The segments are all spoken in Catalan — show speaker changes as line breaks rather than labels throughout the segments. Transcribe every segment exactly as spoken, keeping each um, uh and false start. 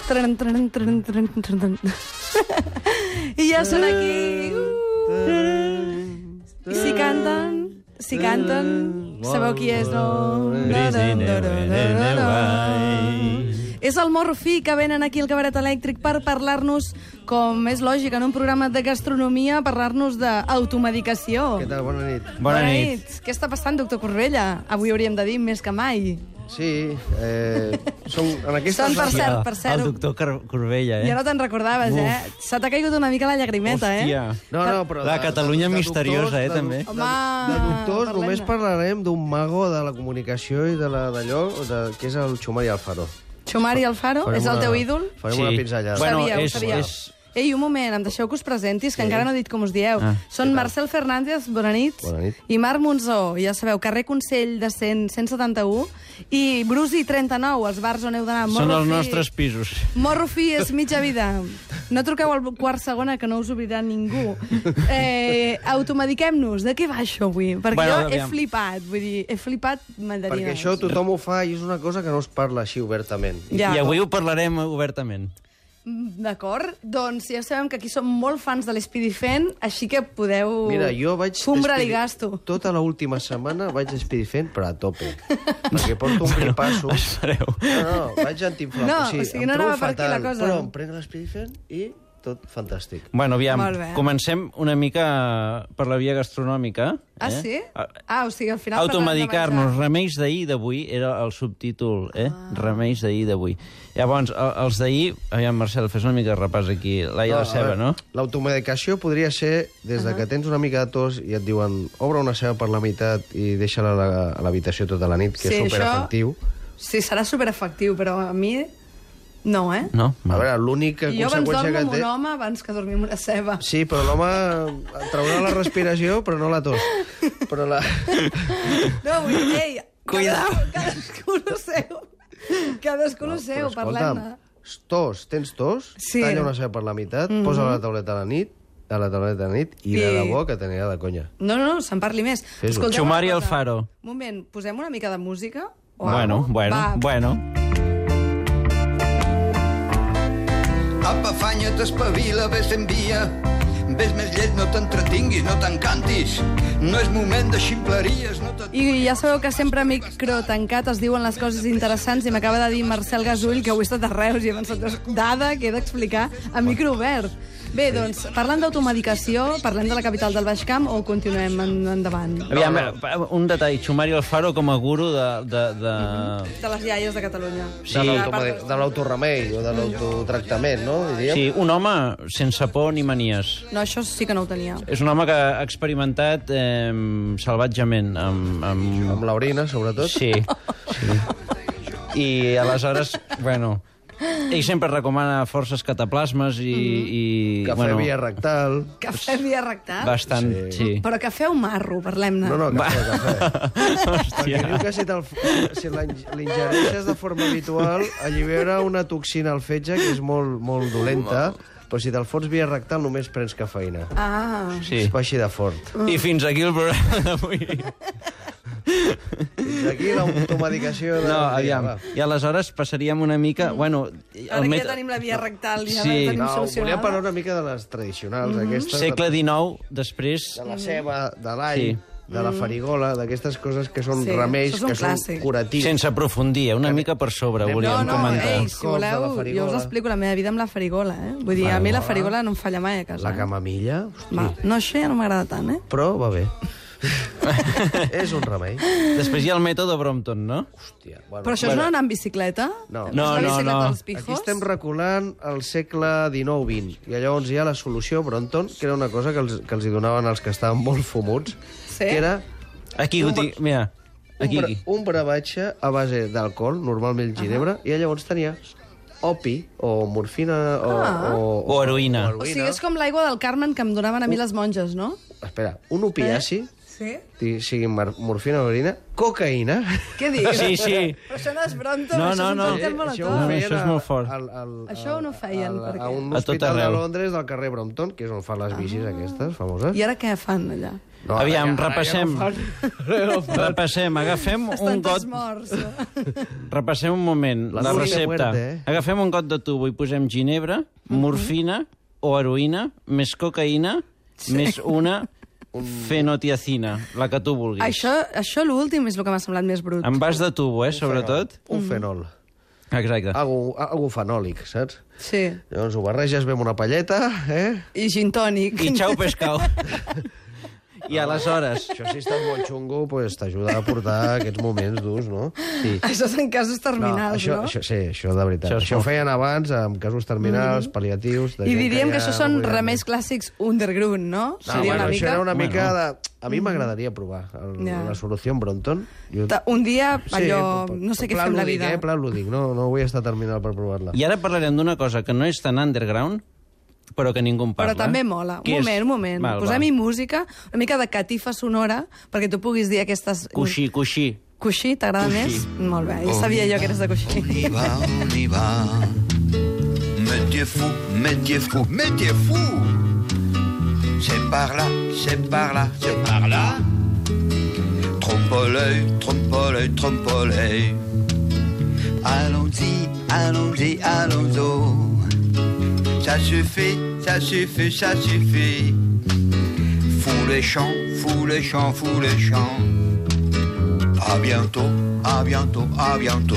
Tran, tran, tran, tran, tran. I ja són aquí. Uh. I si canten, si canten, sabeu qui és, no? És el Morro Fi, que venen aquí al Cabaret Elèctric per parlar-nos, com és lògic, en un programa de gastronomia, parlar-nos d'automedicació.
Què tal? Bona nit.
Bona nit.
Què està passant, doctor Corbella? Avui hauríem de dir més que mai.
Sí, eh, som en aquesta...
Són, per cert, per cert...
El doctor Corbella, eh?
Ja no te'n recordaves,
Uf.
eh? Se t'ha caigut una mica la llagrimeta,
Hòstia.
eh?
No, no, però...
La
de-
Catalunya
de- de
misteriosa, eh,
doctors,
també.
De, de,
Home,
de doctors
parlem-ne.
només parlarem d'un mago de la comunicació i de la- d'allò, de, que és el Xumari Alfaro.
Xumari Alfaro,
Farem
és el
una-
teu ídol?
Farem una pinzellada.
Bueno,
Bueno,
sabíeu,
és,
sabíeu.
és...
Ei, un moment, em deixeu que us presentis, que
Sí.
encara no he dit com us dieu.
Ah,
Són Marcel Fernández, bona nit,
Bona nit.
i Marc Monzó, ja sabeu, carrer Consell de cent, cent setanta-u, i Brusi trenta-nou, els bars on heu d'anar.
Són
Morro
els
Fi-
nostres pisos.
Morro Fi és mitja vida. No truqueu al quart segona, que no us obrirà ningú. Eh, automediquem-nos. De què va això avui? Perquè
Bueno,
jo he
aviam.
flipat, vull dir, he flipat mandarines.
Perquè això tothom ho fa i és una cosa que no es parla així obertament.
Ja.
I avui ho parlarem obertament.
D'acord, doncs ja sabem que aquí som molt fans de l'Espidifent, així que podeu...
Mira, jo vaig...
Fumbra li
despedi-
gasto.
Tota l'última setmana vaig despedifent, però a tope. Perquè porto un gripasso.
Espereu.
No, no, vaig antiinflamar.
No,
o sigui,
o sigui,
em
no
trobo
anava per aquí la
fatal,
cosa.
Però em prenc l'espedifent i tot fantàstic.
Bueno, aviam,
Molt bé.
comencem una mica per la via gastronòmica.
Ah,
eh?
sí?
A-
Ah, o sigui, al final...
Automedicar-nos, remeis d'ahir d'avui, era el subtítol, eh? Ah. Remeis d'ahir d'avui. Llavors, el- els d'ahir... Aviam, Marcel, fes una mica de repàs aquí. Laia la
a
ceba,
veure,
no?
L'automedicació podria ser des de que tens una mica de tos i et diuen obre una ceba per la meitat i deixa-la a la- a l'habitació tota la nit, que
Sí,
és superefectiu.
Sí, serà superefectiu, però a mi... No, eh?
No?
A veure, l'única
I jo abans
conseqüència
dormo
que
amb
té...
un home abans que dormir amb una ceba.
Sí, però l'home traurà la respiració, però no la tos. Però la...
No, vull dir, ei...
Cuidao.
Cadascú, cadascú lo seu. Cadascú lo seu,
però
parlem-ne.
tos, tens tos,
Sí.
talla una ceba per la meitat, mm -hmm. posa la tauleta a la nit, a la tauleta a la nit, i
I-
de debò que t'anirà de conya.
No, no, no, se'n parli més.
Fes-ho.
Escolteu
Xumari
una cosa.
Alfaro.
Un moment, posem una mica de música? O
Bueno,
algo?
bueno,
Va.
bueno.
Apa, afanya't, espavila, ves en via. Ves més lleig, no t'entretinguis, no t'encantis. No és moment de ximpleries, no te...
I ja sabeu que sempre a micro tancat es diuen les coses interessants i m'acaba de dir Marcel Gasull que avui he estat a Reus i he pensat, dada que he d'explicar a micro obert. Bé, doncs, parlant d'automedicació, parlem de la capital del Baix Camp o continuem en, endavant?
Aviam, no. un detall. Xumari Alfaro com a guru de... de, de...
De les iaies de Catalunya.
Sí.
De l'automedi- de l'autoremei o de l'autotractament, no? Diríem?
Sí, un home sense por ni manies.
No, això sí que no ho tenia.
És un home que ha experimentat eh, salvatgement amb... amb...
Amb l'orina, sobretot.
Sí, sí. I aleshores, bueno, ell sempre recomana forces cataplasmes i... i
Cafè
bueno,
via rectal.
Cafè via rectal?
bastant, sí. sí.
Però cafè o marro, parlem-ne.
No, no, cafè, cafè. Perquè diu
Hòstia.
que si, te'l- si l'ing- l'ingereixes de forma habitual, allibera una toxina al fetge que és molt, molt dolenta, però si te'l fots via rectal només prens cafeïna.
Ah,
Sí.
És així de fort.
I fins aquí el programa d'avui.
Fins aquí l'automedicació de...
No, aviam.
Va.
I aleshores passaríem una mica... Bueno,
ara que ja tenim la via rectal, ja
Sí.
la tenim
No, volia
solucionada.
parlar una mica de les tradicionals, aquestes.
Segle dinou, després...
De la ceba, de l'all,
Sí.
de la farigola, d'aquestes coses que són
Sí,
remeis,
això és un
que són
clàssic.
curatius.
Sense aprofundir, eh? Una mica per sobre,
Anem-
volíem
No, no,
comentar.
ei,
Els
si
cops de la
voleu, jo
farigola.
us explico la meva vida amb la farigola, eh? Vull dir, a mi la farigola no em falla mai a casa.
La
eh?
camamilla, hosti,
Va, no, això ja no m'agrada tant, eh?
però va bé. És un remei.
Després hi ha el mètode Brompton, no?
Hòstia, bueno,
Però això és no anar amb bicicleta?
No.
És
No,
la
no,
bicicleta
no.
dels pijos?
Aquí estem reculant al segle dinou vint, i llavors hi ha la solució Brompton, que era una cosa que els, que els hi donaven als que estaven molt fumuts,
Sí?
que era
Aquí,
Un
ho dic, mira.
un,
Aquí,
bra
aquí.
un brevatge a base d'alcohol, normalment ginebra, i llavors tenia opi o morfina o,
Ah.
o,
O heroïna.
O sigui, és com l'aigua del Carmen que em donaven a mi les monges, no?
Espera, un opiaci,
Sí?
eh? sigui mar- morfina o heroïna, cocaïna...
Què dius?
Sí, sí.
Però això no és Brompton,
No,
això
no,
és un
no.
còctel
Eh,
molotov.
No,
feien
això és
a-
molt fort.
Al, al,
Això no ho feien,
al,
per
a
què?
un
A tot
hospital de
arreu.
Londres del carrer Brompton, que és on fan les bicis aquestes famoses.
I ara què fan allà?
No,
Aviam,
ara ja-
repassem.
ara ja no fan.
Repassem, agafem un
Estan
got...
tots morts. No?
Repassem un moment,
La
la,
dulce
recepta.
muerte, eh?
Agafem un got de tubo i posem ginebra, morfina o heroïna, més cocaïna, més una fenotiacina, la que tu vulguis.
Això, això l'últim és el que m'ha semblat més brut.
En vas de tubo, eh, sobretot.
Un fenol.
Exacte.
Algo, algo fenòlic, saps?
Sí.
Llavors ho barreges bé amb una palleta, eh?
I gin tònic.
I xau pescau. I aleshores...
Això si estàs molt xungo, pues, t'ajuda a portar aquests moments durs, no?
Sí.
Això és en casos terminals,
això,
no?
això, sí, això de veritat.
Això
Això,
és
això ho
molt-
feien abans, amb casos terminals, pal·liatius... de
I
gent
diríem que
ja
això són
no podia
remeis
més.
clàssics underground, no?
No,
Seria
bueno,
una
això
mica...
era una
Bueno.
mica de... A mi m'agradaria provar el,
Ja.
la solució Bronton. Jo...
Ta- Un dia, allò...
per-
no sé
per
què
pla
fem la
lúdic,
vida.
Eh? Pla lúdic, no, no vull estar terminal per provar-la.
I ara parlarem d'una cosa que no és tan underground, però que ningú en parla.
Però també mola.
Què
Un
és?
moment, un moment.
Val,
Posem-hi
val.
música, una mica de catifa sonora, perquè tu puguis dir aquestes...
Coixí, coixí.
Coixí, t'agrada més? Molt bé, ja sabia jo que eres de coixí.
On y va, on y va. Métier fou, métier fou, métier fou. C'est par là, c'est par là, c'est par là. Trompe l'œil, trompe l'œil, trompe l'œil. Allons-y, allons-y, allons-y. Ça suffit, ça suffit, ça suffit. Fous les champs, fous les champs, fous les champs. À bientôt, à bientôt, à bientôt.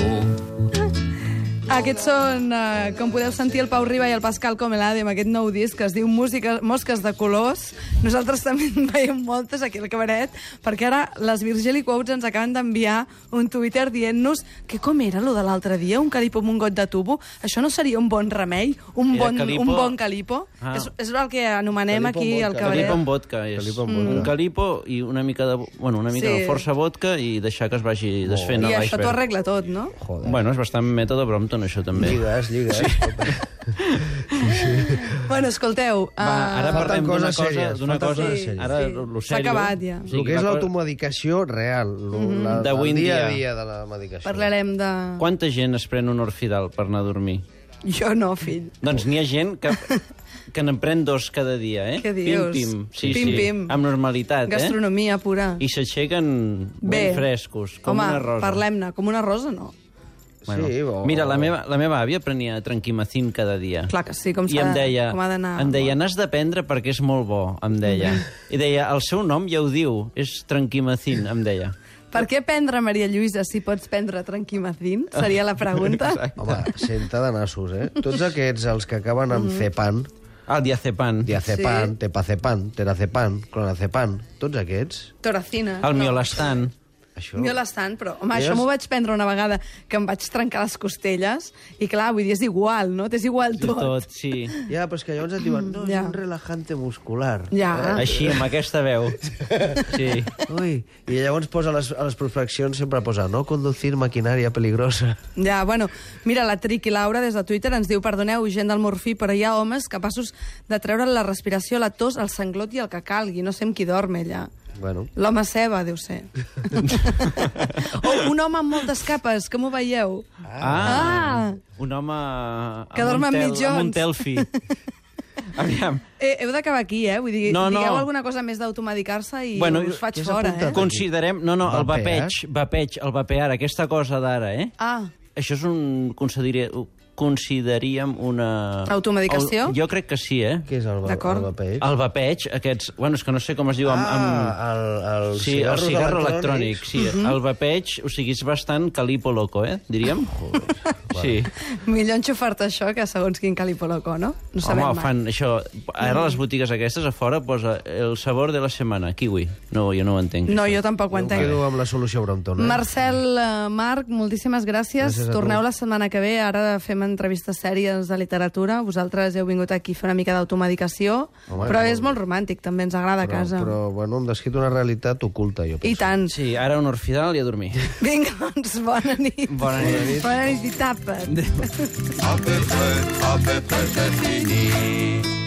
Aquests són, eh, com podeu sentir, el Pau Riba i el Pascal Comelade amb aquest nou disc que es diu Música, Mosques de colors. Nosaltres també en veiem moltes aquí al cabaret, perquè ara les Virgili Quotes ens acaben d'enviar un Twitter dient-nos que com era lo de l'altre dia, un calipo amb un got de tubo? Això no seria un bon remei? Un,
Era
bon,
calipo-
un bon calipo?
Ah.
És, és el que anomenem
Calipo
aquí
amb
al
vodka.
cabaret.
Calipo amb vodka és.
Calipo amb
Un
vodka.
calipo i una mica de, bueno, una mica
Sí.
de força vodka i deixar que es vagi desfent
I
a
això t'ho
l'iceberg.
arregla tot, no?
Joder.
Bueno, és bastant mètode Brompton, això també.
Lligues, lligues. Sí.
Bueno, escolteu...
Va,
eh,
ara
Falten
parlem d'una
coses
cosa,
sèries,
d'una
falten
cosa,
coses sèries.
ara
Sí.
lo
S'ha
sèrio.
acabat ja.
O sigui,
El que és
la co-
l'automedicació real, lo- la,
D'avui
el
en
dia
dia.
a dia de la medicació.
Parlarem de...
Quanta gent es pren un orfidal per anar a dormir?
Jo no, fill.
Doncs n'hi ha gent que, que n'en pren dos cada dia, eh?
Què dius?
Pim, pim. Sí,
Pim,
sí.
pim.
Amb normalitat,
Gastronomia pura.
eh? I s'aixequen ben frescos, com
Home,
una rosa.
parlem-ne. Com una rosa, no.
Bueno,
Sí, o-
Mira, la meva, la meva àvia prenia tranquimacin cada dia.
Clar que sí, com,
I
s'ha
em
de-
deia,
com ha d'anar.
em deia, n'has de prendre perquè és molt bo, em deia. I deia, el seu nom ja ho diu, és tranquimacin, em deia.
Per què prendre Maria Lluïsa si pots prendre tranquimacin? Seria la pregunta.
Home, senta de nassos, eh? Tots aquests, els que acaben amb cepan,
El diazepam,
diazepan,
Sí.
tepazepan, terazepan, clonazepam, tots aquests,
Toracina.
el miolastan.
això...
Miolastan, però, home,
Elles-
això m'ho vaig prendre una vegada que em vaig trencar les costelles i, clar, vull dir, és igual, no? T'és igual tot.
Tot, sí.
Ja, però és que llavors et diuen, no,
Ja.
és un relajante muscular.
Ja.
Així, amb aquesta veu. Sí.
Ui, i llavors posa a les, a les prospeccions, sempre posa, no conducir maquinària peligrosa.
Ja, bueno, mira, la Triqui Laura des de Twitter ens diu, perdoneu, gent del morfí, però hi ha homes capaços de treure la respiració, la tos, el sanglot i el que calgui. No sé amb qui dorm, ella.
Bueno,
L'home ceba, deu ser. O un home amb moltes capes, com ho veieu?
Ah! Un home...
Que
amb
dorm
un
amb
tel-
mitjons.
Amb un telfi. Aviam.
Eh, heu d'acabar aquí, eh? Vull dir,
No, no.
digueu alguna cosa més d'automedicar-se i
Bueno,
us faig
què s'ha
fora, eh?
apuntat?
Considerem... No, no, el
Vapear?
vapeig, vapeig, el vapear, aquesta cosa d'ara, eh?
Ah,
Això és un... Consideri... consideraríem una...
Automedicació?
El- Jo crec que sí, eh?
què és el, va-
D'acord.
el vapeig?
El vapeig, aquests... Bueno, és que no sé com es diu amb... amb...
Ah, el, el
Sí, el
cigarros
cigarro
electrònics.
electrònic, sí. El vapeig, o sigui, és bastant calipo loco, eh? Diríem. Sí.
millor enxufar-te això que segons quin calipo loco, no? No sabem
Home,
mai.
fan això... Ara les botigues aquestes a fora posa el sabor de la setmana, kiwi. No, jo no ho entenc.
No,
això.
jo tampoc ho
Em
entenc.
quedo amb la solució Brompton, eh?
Marcel, eh, Marc, moltíssimes gràcies.
Gràcies a tu.
Torneu la setmana que ve. Ara fem entrevistes sèries de literatura. Vosaltres heu vingut aquí a fer una mica d'automedicació.
Home,
Però
molt
és
bé.
molt romàntic, també ens agrada a
però,
casa.
però, bueno, hem descrit una realitat oculta, jo penso.
I tant.
Sí, ara un orfidal i a dormir.
Vinga, doncs, bona nit.
Bona nit.
Bona nit i tapa't.
À peu près, à peu près c'est fini.